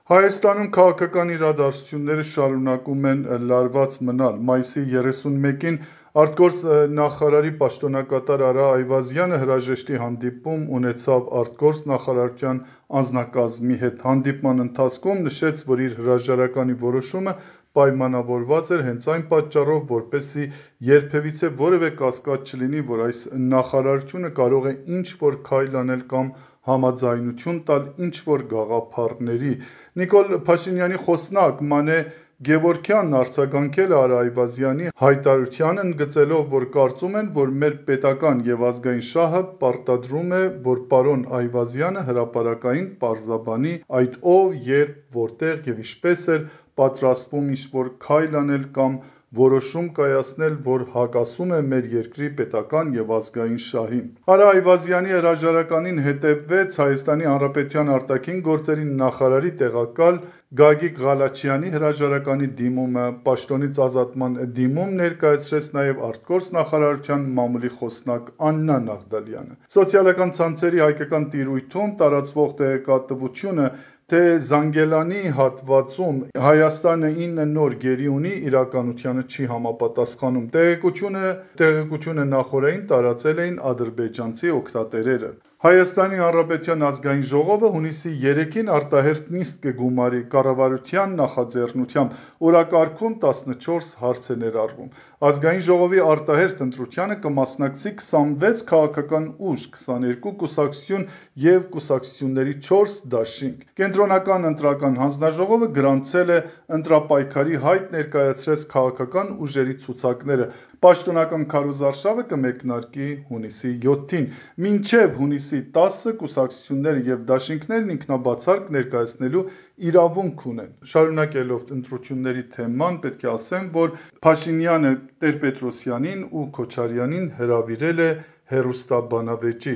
Հայաստանում քաղաքական իրադարձությունները շարունակում են լարված մնալ։ Մայիսի 31-ին արտգործ նախարարի պաշտոնակատար Արա Այվազյանը հրաժեշտի հանդիպում ունեցավ արտգործ նախարարության անձնակազմի հետ։ Հանդիպման ընթացքում նշեց, որ իր հրաժարականի որոշումը պայմանավորված էր հենց այն պատճառով, որպեսզի երբևիցե որևէ կասկած չլինի, որ այս նախարարությունը կարող է ինչ-որ քայլ անել կամ համաձայնություն տալ ինչ-որ գաղափարների։ Նիկոլ Փաշինյանի խոսնակ Մանե Գևորգյանն արձագանքել է Արա Այվազյանի հայտարարությանը, ընդգծելով, որ կարծում են, որ մեր պետական և ազգային շահը պարտադրում է, որ պարոն Այվազյանը հրապարակային պարզաբանի այդ ով, երբ, որտեղ և ինչպես էր պատրաստվում ինչ-որ քայլ անել կամ որոշում կայացնել, որ հակասում է մեր երկրի պետական և ազգային շահին։ Արա Այվազյանի հրաժարականին հետևվեց Հայաստանի Հանրապետության արտաքին գործերի նախարարի տեղակալ Գագիկ Ղալաչյանի հրաժարականի դիմումը, պաշտոնից ազատման դիմում ներկայացրեց նաև արտգործ նախարարության մամուլի խոսնակ Աննա Նաղդալյանը։ Սոցիալական ցանցերի հայկական տիրույթում տարածվող տեղեկատվությունը, թե Զանգելանի հատվածում Հայաստանը 9 նոր գերի ունի, իրականությանը չի համապատասխանում։ Տեղեկությունը նախօրեին տարածել էին ադրբեջանցի օգտատերերը։ Հայաստանի Հանրապետության ազգային ժողովը հունիսի 3-ին արտահերթ նիստ կգումարի կառավարության նախաձեռնությամբ, օրակարգում 14 հարց է ներառվում։ Ազգային ժողովի արտահերթ ընտրությանը կմասնակցի 26 քաղաքական ուժ, 22 կուսակցություն և կուսակցությունների 4 դաշինք։ Կենտրոնական ընտրական հանձնաժողովը գրանցել է ընտրապայքարի հայտ ներկայացրեց քաղաքական ուժերի ցուցակները։ Պաշտոնական քարոզարշավը կմեկնարկի հունիսի 7-ին։ Մինչև հունիսի 10-ը կուսակցությունները և դաշինքներն ինքնաբացարկ ներկայացնելու իրավունք ունեն։ Շարունակելով ընտրությունների թեման, պետք է ասեմ, որ Փաշինյանը Տեր-Պետրոսյանին ու Քոչարյանին հրավիրել է հեռուստաբանավեճի,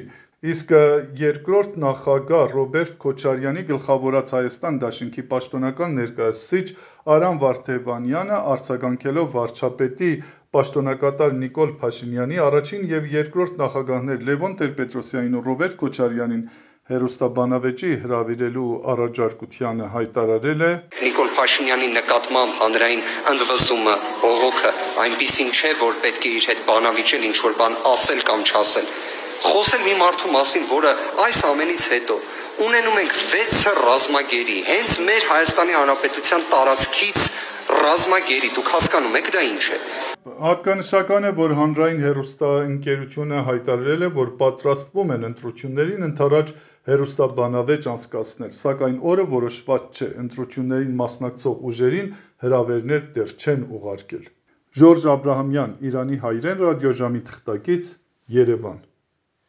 իսկ երկրորդ նախագահ Ռոբերտ Քոչարյանի գլխավորած Հայաստան դաշինքի պաշտոնական ներկայացուցիչ Արամ Վարդևանյանը արձագանքելով վարչապետի պաշտոնակատար Նիկոլ Փաշինյանի առաջին և երկրորդ նախագահներ Լևոն Տեր-Պետրոսյանին ու Ռոբերտ Քոչարյանին հեռուստաբանավեճի հրավիրելու առաջարկությանը հայտարարել է. Նիկոլ Փաշինյանի նկատմամբ հանրային ընդվզումը, բողոքը այնպիսին չէ, որ պետք է իր հետ բանավիճել, ինչ-որ բան ասել կամ չասել։ Խոսել մի մարդու մասին, որը այս ամենից հետո ունենում ենք 6 ռազմագերի, հենց մեր Հայաստանի Հանրապետության տարածքից ռազմագերի, դուք հասկանում եք դա ինչ է։ Հատկանշական է, որ հանրային հեռուստաընկերությունը հայտարարել է, որ պատրաստվում են ընտրություններին ընդառաջ հեռուստաբանավեճ անցկացնել, սակայն օրը որոշված չէ։ Ընտրություններին մասնակցող ուժերին հրավերներ դեռ չեն ուղարկել։ Ժորժ Աբրահամյան, Իրանի հայրեն ռադիոժամի թղթակից, Երևան։